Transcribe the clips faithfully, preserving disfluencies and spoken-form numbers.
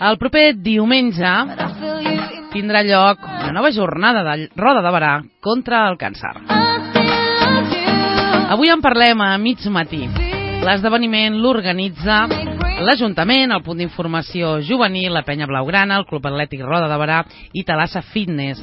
El proper diumenge tindrà lloc una nova jornada de roda de barà contra el càncer. Avui en parlem a mig matí. L'esdeveniment l'organitza l'Ajuntament, el punt d'informació juvenil, la Penya Blaugrana, el Club Atlètic Roda de Barà i Talassa Fitness.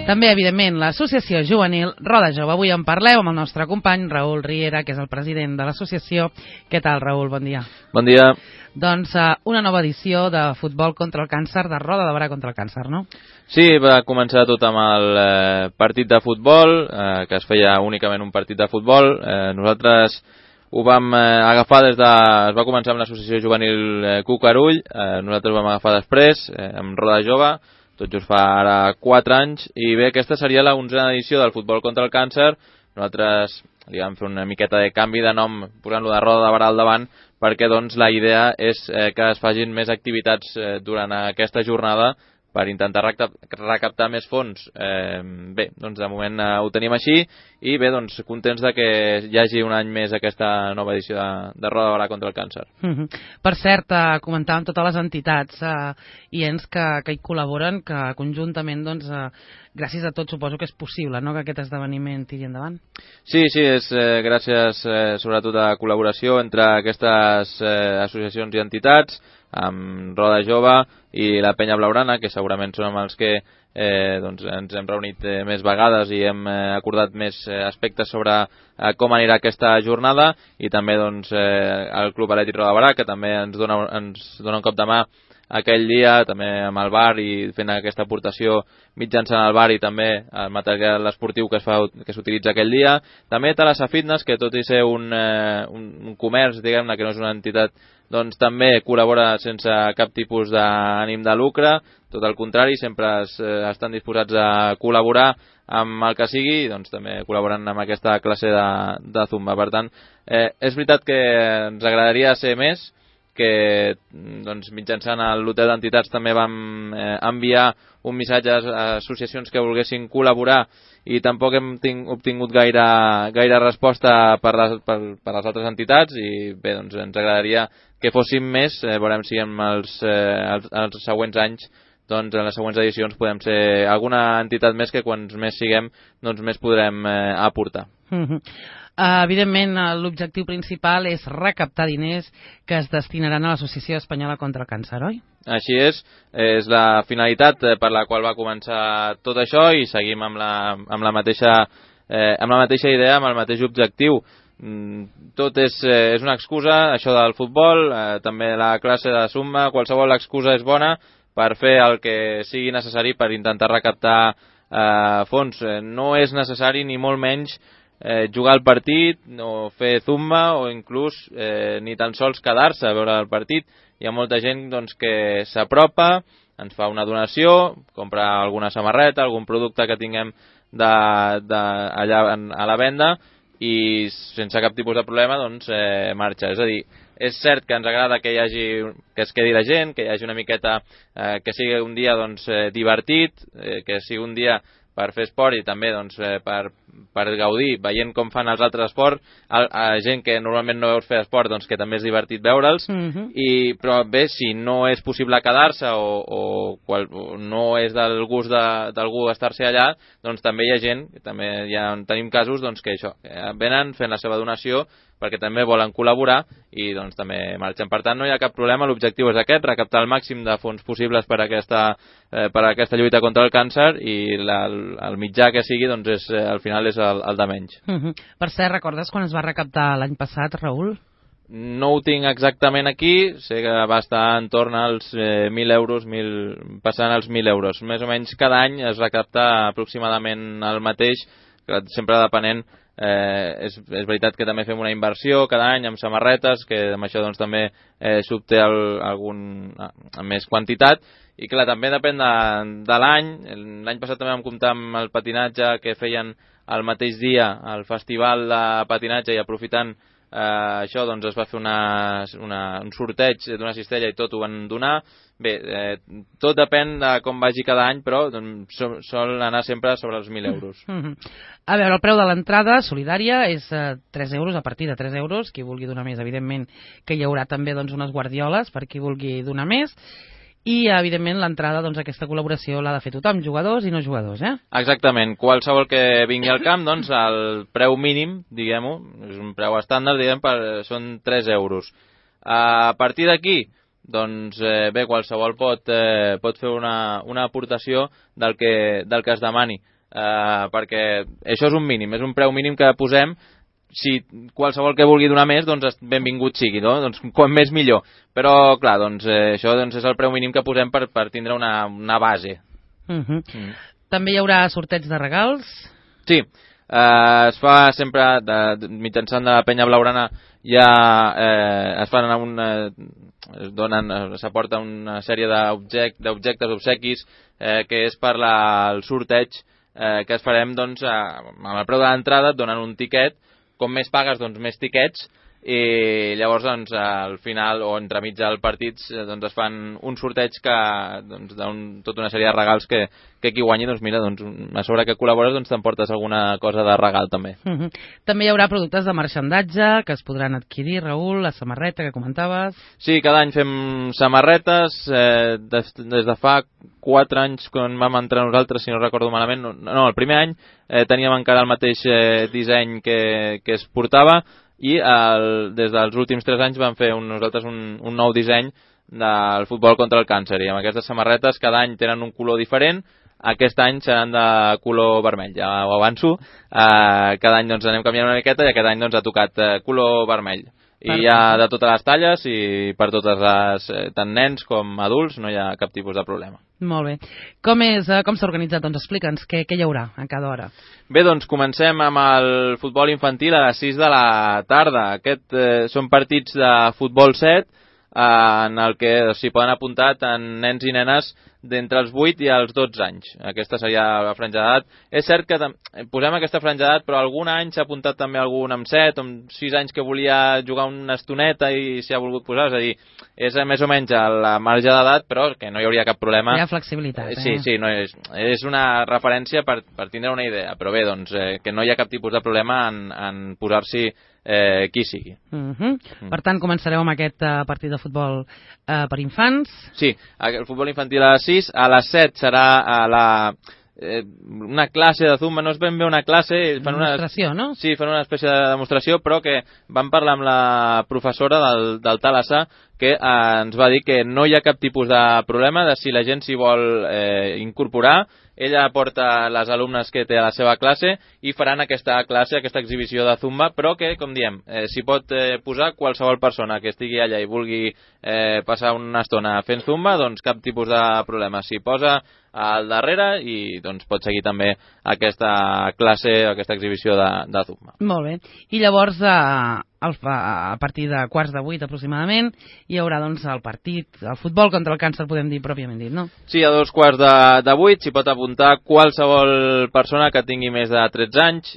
També, evidentment, l'associació juvenil Roda Jove. Avui en parlem amb el nostre company Raül Riera, que és el president de l'associació. Què tal, Raül? Bon dia. Bon dia. Doncs uh, una nova edició de futbol contra el càncer, de Roda de Barà contra el càncer, no? Sí, va començar tot amb el eh, partit de futbol, eh, que es feia únicament un partit de futbol. Eh, nosaltres ho vam eh, agafar des de... Es va començar amb l'associació juvenil eh, Cucarull, eh, nosaltres ho vam agafar després, eh, amb Roda Jove, tot just fa ara quatre anys, i bé, aquesta seria la onzena edició del futbol contra el càncer. Nosaltres li vam fer una miqueta de canvi de nom, posant-lo de Roda de Barà al davant, perquè doncs la idea és eh, que es facin més activitats eh, durant aquesta jornada per intentar recaptar més fons. Eh, bé, doncs de moment eh, ho tenim així, i bé, doncs contents de que hi hagi un any més aquesta nova edició de, de Roda de Barà contra el càncer. Mm-hmm. Per cert, eh, comentàvem totes les entitats eh, i ens que, que hi col·laboren, que conjuntament, doncs, eh, gràcies a tot suposo que és possible, no?, que aquest esdeveniment tiri endavant. Sí, sí, és eh, gràcies eh, sobretot a col·laboració entre aquestes eh, associacions i entitats, amb Roda Jove i la Penya Blaugrana, que segurament són amb els que eh, doncs ens hem reunit eh, més vegades i hem eh, acordat més eh, aspectes sobre eh, com anirà aquesta jornada, i també doncs, eh, el Club Atlètic Roda de Barà, que també ens dona, ens dona un cop de mà aquell dia, també amb el bar i fent aquesta aportació mitjançant el bar i també el material esportiu que es fa, que s'utilitza aquell dia. També Talassa Fitness, que tot i ser un, eh, un, un comerç, diguem-ne, que no és una entitat, doncs també col·labora sense cap tipus d'ànim de lucre, tot el contrari, sempre es, eh, estan disposats a col·laborar amb el que sigui, doncs també col·laboren amb aquesta classe de, de Zumba. Per tant, eh, és veritat que ens agradaria ser més, que doncs, mitjançant l'hotel d'entitats també vam eh, enviar un missatge a associacions que volguessin col·laborar, i tampoc hem ting, obtingut gaire, gaire resposta per les, per, per les altres entitats, i bé, doncs ens agradaria que fóssim més, eh, veurem si en els, eh, els, els següents anys, doncs en les següents edicions podem ser alguna entitat més, que quan més siguem, doncs més podrem eh, aportar. Mm-hmm. Uh, evidentment, l'objectiu principal és recaptar diners que es destinaran a l'Associació Espanyola contra el Càncer, oi? Així és, és la finalitat per la qual va començar tot això, i seguim amb la, amb la, mateixa, eh, amb la mateixa idea, amb el mateix objectiu. Tot és, eh, és una excusa, això del futbol, eh, també la classe de Zumba, qualsevol excusa és bona per fer el que sigui necessari per intentar recaptar eh, fons. No és necessari ni molt menys Eh, jugar al partit, o fer Zumba, o inclús eh, ni tan sols quedar-se a veure el partit. Hi ha molta gent doncs, que s'apropa, ens fa una donació, compra alguna samarreta, algun producte que tinguem de, de, allà a la venda, i sense cap tipus de problema doncs, eh, marxa. És a dir, és cert que ens agrada que hi hagi, que es quedi la gent, que hi hagi una miqueta, eh, que sigui un dia doncs, eh, divertit, eh, que sigui un dia per fer esport, i també doncs, eh, per, per gaudir, veient com fan els altres esports, a, a gent que normalment no veus fer esport, doncs que també és divertit veure'ls, mm-hmm. i, però bé, si no és possible quedar-se o, o, qual, o no és del gust d'algú estar-se allà, doncs també hi ha gent, també ja tenim casos doncs, que això, que venen fent la seva donació perquè també volen col·laborar, i doncs també marxen. Per tant, no hi ha cap problema, l'objectiu és aquest, recaptar el màxim de fons possibles per a aquesta, eh, per a aquesta lluita contra el càncer, i la, el mitjà que sigui, doncs és, eh, al final és el, el de menys. Mm-hmm. Per cert, recordes quan es va recaptar l'any passat, Raül? No ho tinc exactament aquí, sé que va estar en torn als eh, mil euros, mil, passant als mil euros. Més o menys cada any es recapta aproximadament el mateix, sempre depenent. Eh, és, és veritat que també fem una inversió cada any amb samarretes, que amb això doncs, també eh, s'obté algun eh, més quantitat, i clar, també depèn de, de l'any. L'any passat també vam comptar amb el patinatge, que feien el mateix dia el festival de patinatge, i aprofitant eh, això doncs es va fer una, una, un sorteig d'una cistella i tot ho van donar. Bé, eh, tot depèn de com vagi cada any, però doncs, sol, sol anar sempre sobre els mil euros. Mm-hmm. A veure, el preu de l'entrada solidària és eh, tres euros, a partir de tres euros. Qui vulgui donar més, evidentment que hi haurà també doncs, unes guardioles per qui vulgui donar més. I, evidentment, l'entrada, doncs, aquesta col·laboració l'ha de fer tothom, jugadors i no jugadors, eh? Exactament. Qualsevol que vingui al camp, doncs, el preu mínim, diguem-ho, és un preu estàndard, diguem, per, són tres euros. A partir d'aquí, doncs, eh, bé, qualsevol pot, eh, pot fer una, una aportació del que, del que es demani, eh, perquè això és un mínim, és un preu mínim que posem. Si qualsevol que vulgui donar més, doncs benvingut sigui, no? Doncs quan més millor. Però, clar, doncs eh, això doncs, és el preu mínim que posem per, per tindre una, una base. Uh-huh. Mm. També hi haurà sorteig de regals? Sí, eh, es fa sempre, de, de, mitjançant de la penya blaugrana, ja eh, es fan un... Eh, es donen, s'aporta una sèrie d'objectes, d'objectes, obsequis, eh, que és per la, el sorteig eh, que es farem, doncs, eh, amb el preu de l'entrada et donen un tiquet. Com més pagues, doncs més tiquets, i llavors doncs, al final o entremig del partit doncs, es fan un sorteig que doncs, d'un, tota una sèrie de regals que, que qui guanyi, doncs mira, doncs, a sobre que col·labores doncs t'emportes alguna cosa de regal també. Uh -huh. També hi haurà productes de marxandatge que es podran adquirir, Raül, la samarreta que comentaves. Sí, cada any fem samarretes, eh, des, des de fa quatre anys quan vam entrar nosaltres, si no recordo malament, no, no el primer any eh, teníem encara el mateix eh, disseny que, que es portava, i el, des dels últims tres anys vam fer un, nosaltres un, un nou disseny del futbol contra el càncer, i amb aquestes samarretes cada any tenen un color diferent. Aquest any seran de color vermell, ja ho avanço. Eh, cada any doncs, anem canviant una miqueta i aquest any doncs, ha tocat eh, color vermell. I hi ha de totes les talles i per totes les, eh, tant nens com adults, no hi ha cap tipus de problema. Molt bé. Com és, eh, com s'ha organitzat? Doncs explica'ns què, què hi haurà a cada hora. Bé, doncs comencem amb el futbol infantil a les sis de la tarda. Aquest eh, són partits de futbol set, eh, en el que s'hi poden apuntar tant nens i nenes d'entre els vuit i els dotze anys. Aquesta seria la franja d'edat. És cert que posem aquesta franja d'edat, però algun any s'ha apuntat també algun amb set o amb sis anys que volia jugar una estoneta i s'hi ha volgut posar. És a dir, és més o menys a la marge d'edat, però que no hi hauria cap problema. Hi ha flexibilitat, eh? Sí, sí, no és, és una referència per, per tindre una idea. Però bé, doncs, eh, que no hi ha cap tipus de problema en, en posar-s'hi eh, qui sigui. Uh-huh. Mm. Per tant, començareu amb aquest uh, partit de futbol uh, per infants. Sí, el futbol infantil a les sis, a les set serà a la... Eh, una classe de zumba, no és ben bé una classe, fan una demostració, no? Sí, fan una espècie de demostració, però que vam parlar amb la professora del, del Talassà, que eh, ens va dir que no hi ha cap tipus de problema de si la gent s'hi vol eh, incorporar. Ella porta les alumnes que té a la seva classe i faran aquesta classe, aquesta exhibició de zumba, però que, com diem, eh, s'hi pot eh, posar qualsevol persona que estigui allà i vulgui eh, passar una estona fent zumba, doncs cap tipus de problema. S'hi posa al darrere i doncs pot seguir també aquesta classe, aquesta exhibició de, de zumba. Molt bé. I llavors, a, a partir de quarts de vuit aproximadament, hi haurà doncs el partit, el futbol contra el càncer, podem dir pròpiament dit, no? Sí, a dos quarts de, de vuit s'hi pot apuntar qualsevol persona que tingui més de tretze anys,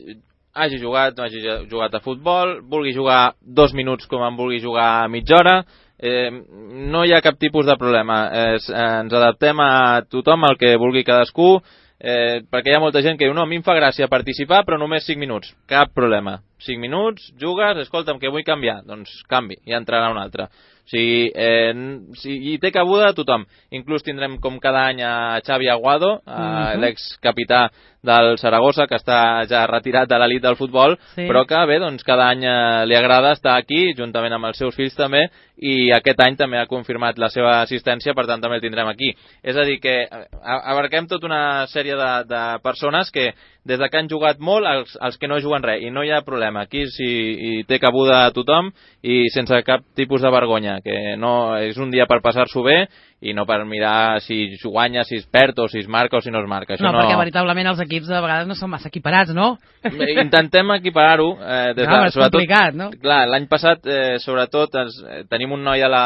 hagi jugat, no hagi jugat a futbol, vulgui jugar dos minuts com en vulgui jugar mitja hora. Eh, no hi ha cap tipus de problema. Eh, ens adaptem a tothom, el que vulgui cadascú, eh, perquè hi ha molta gent que diu no, a mi em fa gràcia participar però només cinc minuts. Cap problema, cinc minuts, jugues, escolta'm que vull canviar, doncs canvi, i entrarà un altre. O sigui, eh, si hi té cabuda tothom. Inclús tindrem com cada any a Xavi Aguado, a uh-huh. l'excapità del Saragossa, que està ja retirat de l'elit del futbol, sí. però que bé, doncs cada any eh, li agrada estar aquí, juntament amb els seus fills també, i aquest any també ha confirmat la seva assistència, per tant també el tindrem aquí. És a dir, que abarquem tota una sèrie de, de persones que des de que han jugat molt, els, els que no juguen res, i no hi ha problema. Aquí sí, hi té cabuda a tothom i sense cap tipus de vergonya, que no és un dia per passar-s'ho bé i no per mirar si guanya, si es perd o si es marca o si no es marca. Això no, no, perquè veritablement els equips de vegades no són massa equiparats, no? Intentem equiparar-ho. Eh, des no, de, és complicat, no? Clar, l'any passat, eh, sobretot, ens, eh, tenim un noi a la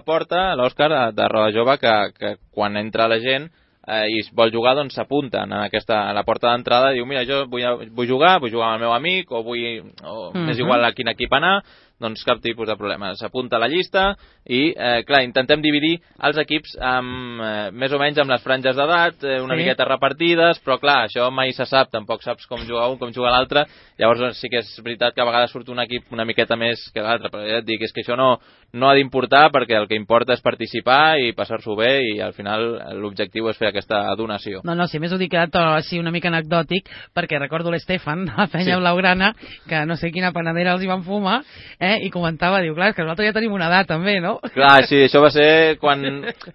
porta, l'Òscar, de Roda Jove, que, que quan entra la gent eh, i vol jugar, doncs s'apunten a, aquesta, a la porta d'entrada i diu, mira, jo vull, vull jugar, vull jugar amb el meu amic, o vull, o uh-huh. m'és igual a quin equip anar, doncs cap tipus de problema. S'apunta a la llista i, eh, clar, intentem dividir els equips amb, eh, més o menys amb les franges d'edat, eh, una sí. miqueta repartides, però clar, això mai se sap, tampoc saps com juga un, com juga l'altre, llavors doncs, sí que és veritat que a vegades surt un equip una miqueta més que l'altre, però ja et dic, és que això no, no ha d'importar perquè el que importa és participar i passar-s'ho bé i al final l'objectiu és fer aquesta donació. No, no, si més ho dic to així una mica anecdòtic, perquè recordo l'Estefan, de la penya sí. blaugrana, que no sé quina panadera els hi van fumar, eh, i comentava, diu, clar, és que nosaltres ja tenim una edat també, no? Clar, sí, això va ser quan...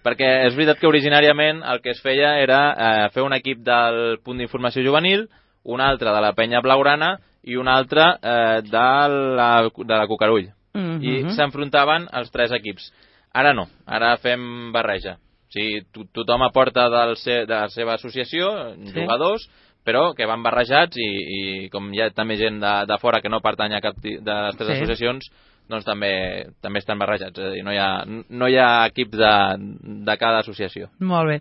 perquè és veritat que originàriament el que es feia era eh, fer un equip del punt d'informació juvenil, un altre de la penya blaugrana i un altre eh, de, la, de la Cucarull. Mm-hmm. I s'enfrontaven els tres equips. Ara no, ara fem barreja. O sigui, to tothom aporta del se de la seva associació, sí. jugadors, però que van barrejats i, i com hi ha també gent de, de fora que no pertany a cap de les tres sí. associacions, doncs també també estan barrejats. És a dir, no hi ha, no hi ha equips de, de cada associació. Molt bé.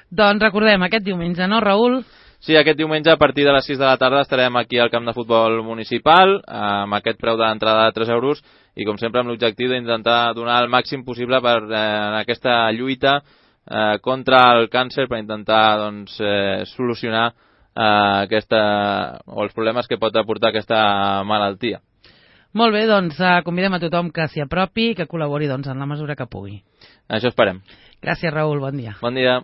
Doncs recordem, aquest diumenge, no, Raül? Sí, aquest diumenge a partir de les sis de la tarda estarem aquí al camp de futbol municipal amb aquest preu d'entrada de tres euros i com sempre amb l'objectiu d'intentar donar el màxim possible per eh, en aquesta lluita eh, contra el càncer, per intentar doncs, eh, solucionar eh, aquesta, o els problemes que pot aportar aquesta malaltia. Molt bé, doncs eh, convidem a tothom que s'hi apropi i que col·labori doncs, en la mesura que pugui. Això esperem. Gràcies, Raül, bon dia. Bon dia.